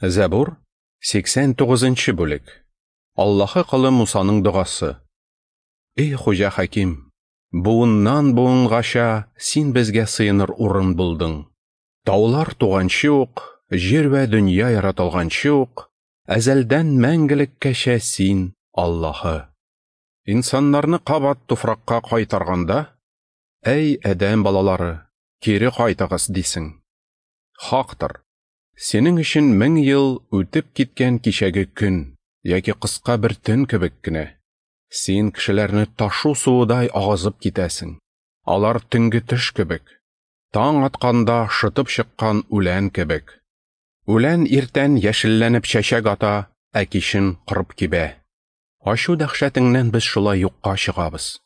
Зәбур, 89 нчы бүлек. Аллаһы колы Мусаның догасы. Эй, Хуҗа Хаким, буыннан буынгача син безгә сыеныр урын булдың. Таулар туганчы ук, җир вә дөнья яратылганчы ук, әзәлдән мәңгелеккәчә син Аллаһы. Инсаннарны кабат туфракка кайтарганда, әй, адәм балалары, кире кайтыгыз, дисең. Хактыр. Синең өчен 1000 ел үтеп киткән кичәге көн яки кыска бер төн кебек кенә. Син кешеләрне ташу суыдай агызып китәсең. Алар төнге төш кебек. Таң атканда шытып чыккан үлән кебек. Үлән иртән яшелләнеп чәчәк ата, ә кичен корып кибә. Ачу дәһшәтеңнән без шулай юкка чыгабыз.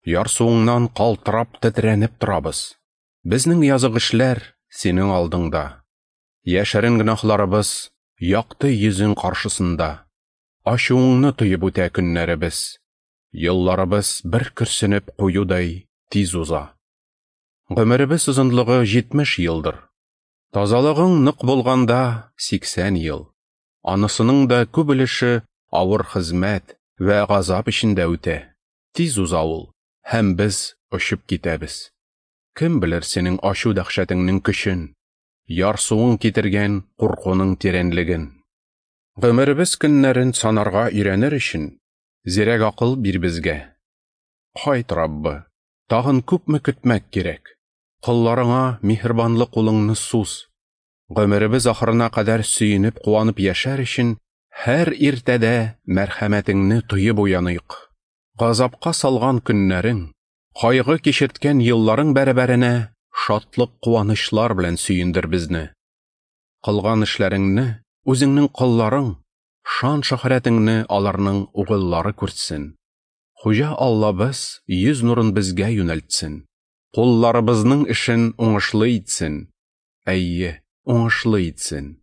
Ярсуыңнан калтырап тетрәнеп торабыз. Безнең язык эшләр синең алдыңда. Яшерен гөнаһларыбыз якты йөзең каршысында. Ачуыңны тоеп үтә көннәребез. Елларыбыз бер көрсенеп куюдай тиз уза. Гомеребез озынлыгы 70 елдыр. Тазалыгың нык булганда 80 ел. Анысының да күп өлеше авыр хезмәт вә газап эчендә үтә. Тиз уза ул, һәм без очып китәбез. Кем белер синең ачу дәһшәтеңнең көчен, ярсуың китергән куркуның тирәнлеген. Гомеребез көннәрен санарга өйрәнер өчен, зирәк акыл бир безгә. Кайт, Раббы, тагын күпме көтмәк кирәк? Колларыңа миһербанлы кулыңны суз. Гомеребез ахырына кадәр сөенеп, куанып яшәр өчен, һәр иртәдә мәрхәмәтеңне тоеп уяныйк. Газапка салган көннәрең, кайгы кичерткән елларың бәрабәренә шатлык куанычлар белән сөендер безне. Кылган эшләреңне үзеңнең колларың, шан шөһрәтеңне аларның угыллары күрсен. Хуҗа Аллабыз йөз нурын безгә юнәлтсен. Кулларыбызның эшен уңышлы итсен. Әйе, уңышлы итсен.